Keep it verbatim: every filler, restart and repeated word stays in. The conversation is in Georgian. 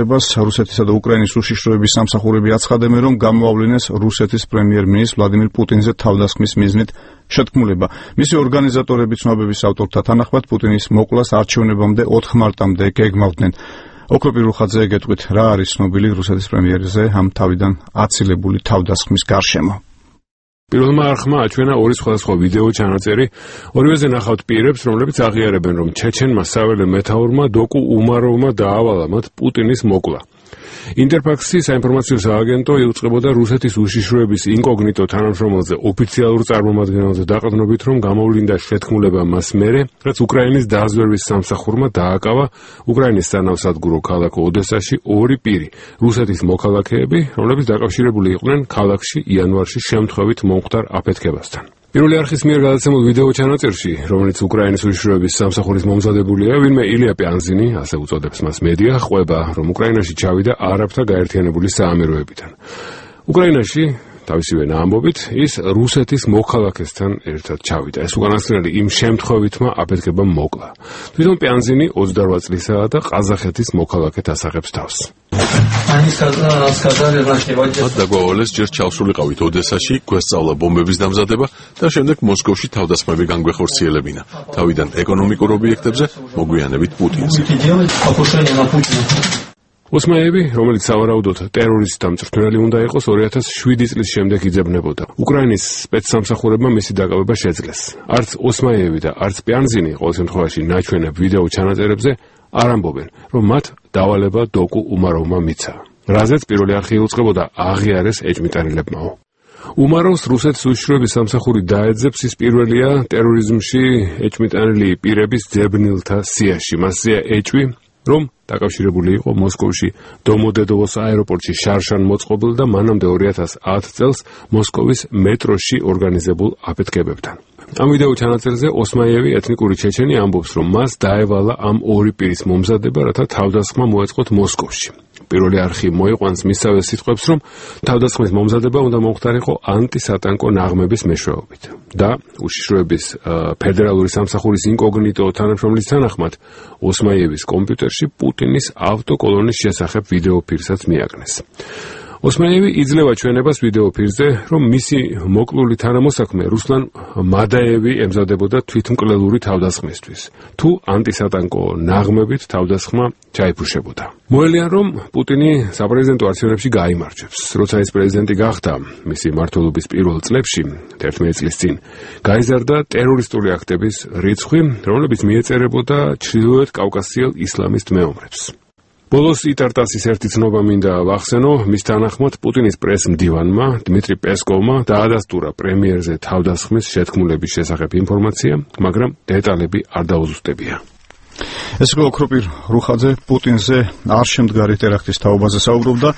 რუსეთისა და უკრაინის უშიშროების სამსახურები აცხადებენ, რომ გამოავლინეს რუსეთის პრემიერ-მინისტრ ვლადიმირ პუტინზე თავდასხმის მიზნით შეთქმულება. მისი ორგანიზატორები ცნობების ავტორთა თანახმად პუტინის მოკვლას არჩევნებამდე ოთხ მარტამდე გეგმავდნენ. ოქროპირ რუხაძე, გეტყვით, რა არის ცნობილი რუსეთის პრემიერზე ამ თავიდან აცილებული თავდასხმის გარშემო? პირველმა არხმა აჩვენა ორი სხვადასხვა ვიდეო ჩანაწერი. ორივეზე ნახავთ პირებს, რომლებიც აღიარებენ, რომ ჩეჩენმა საველე მეთაურმა დოკუ უმაროვმა დაავალა მათ პუტინის მოკლა. ინტერფაქსი საინფორმაციო სააგენტო იუწყებოდა რუსეთის უშიშროების ინკოგნიტო თანამშრომელზე ოფიციალურ წარმომადგენელზე დაყრდნობით, რომ გამოვლინდა შეთქმულება მას მერე, რაც უკრაინის დაზვერვის სამსახურმა დააკავა უკრაინის სანავსადგურო ქალაქ ოდესაში ორი პირი, რუსეთის მოქალაქეები, რომლებიც დაკავშირებული იყვნენ ქალაქში იანვარში შემთხვევით მომხდარ აფეთქებასთან. პირველი არხის მიერ გადაცემულ ვიდეო ჩანაწერში, რომელიც უკრაინის უშიშროების სამსახურის მომზადებულია, ვინმე ილია პიანზინი, ასე უწოდებს მას მედია, ყვება, რომ უკრაინაში ჩავიდა არაბთა გაერთიანებული საამიროებიდან. უკრაინაში თავისივე ამბობით ის რუსეთის მოქალაქესთან ერთად ჩავიდა. ეს უკანასკნელი იმ შემთხვევითმა აფეთქებამ მოკლა. თვითონ პიანზინი ოცდარვა წლისაა და ყაზახეთის მოქალაქედ ასახებს თავს. მათ დაგვავალეს ჯერ ჩავსულიყავით ოდესაში, გვესწავლა ბომბების დამზადება და შემდეგ მოსკოვში თავდასხმები განგვეხორციელებინა. თავიდან ეკონომიკურ ობიექტებზე, მოგვიანებით პუტინზე. ოსმაევი, რომელიც სავარაუდოდ ტერორისტთა მწვრთნელი უნდა იყოს, ორი ათას შვიდი წლის შემდეგ იძებნებოდა. უკრაინის სპეცსამსახურებმა მისი დაკავება შეძლეს. არც ოსმაევი და არც პიანზინი ყოველ შემთხვევაში ნაჩვენებ ვიდეო ჩანაწერებზე არ ამბობენ, რომ მათ დავალება დოკუ უმაროვმა მიცა. რაზეც პირველი არხი იუწყებოდა აღიარეს ეჭმიტანილებმაო. უმაროვს რუსეთის უშიშროების სამსახური დაეძებს, ის პირველია ტერორიზმში ეჭმიტანილი პირების ძებნილთა სიაში. მასზეა ეჭვი, რომ დაკავშირებული იყო მოსკოვში დომოდედოვოს აეროპორტში შარშან მოწყობილ და მანამდე ორი ათას ათ წელს მოსკოვის მეტროში ორგანიზებულ აფეთქებებთან. ამ ვიდეო ჩანაწერზე ოსმაიევი, ეთნიკური ჩეჩენი, ამბობს, რომ მას დაევალა ამ ორი პირის მომზადება, რათა თავდასხმა მოეწყოთ მოსკოვში. პირველი არხი მოიყვანს მისსავე სიტყვებს, რომ თავდასხმის მომზადება უნდა მომხდარიყო ანტისატანკო ნაღმების მეშვეობით. და უშიშროების ფედერალური სამსახურის ინკოგნიტო თანამშრომლის თანახმად, ოსმაიევის კომპიუტერში პუტინის ავტოკოლონის შესახებ ვიდეო ფირსაც მიაკნეს. ოსმაიევი იძლევა ჩვენებას ვიდეო ფირზე, რომ მისი მოკლული თანამოსაქმე რუსლან მადაევი ემზადებოდა თვითმკვლელური თავდასხმისთვის, თუ ანტისატანკო ნაღმებით თავდასხმა ჩაიფუშებოდა. მოელიან, რომ პუტინი საპრეზიდენტო არჩევნებში გაიმარჯვებს. როცა ის პრეზიდენტი გახდა, მისი მმართველობის პირველ წლებში, თერთმეტი წლის წინ, გაიზარდა ტერორისტული აქტების რიცხვი, რომლებიც მიეწერებოდა ჩრდილოეთ კავკასიელ ისლამისტ მეომრებს. ბოლოს იტარტასის ერთი ცნობა მინდა ვახსენო, მის თანახმად პუტინის პრეს-მდივანმა დმიტრი პესკოვმა დაადასტურა პრემიერზე თავდასხმის შეთქმულების შესახებ ინფორმაცია, მაგრამ დეტალები არ დაუზუსტებია. ეს იყო ოქროპირ რუხაძე, პუტინზე არ შემდგარი ტერაქტის თაობაზე საუბრობდა.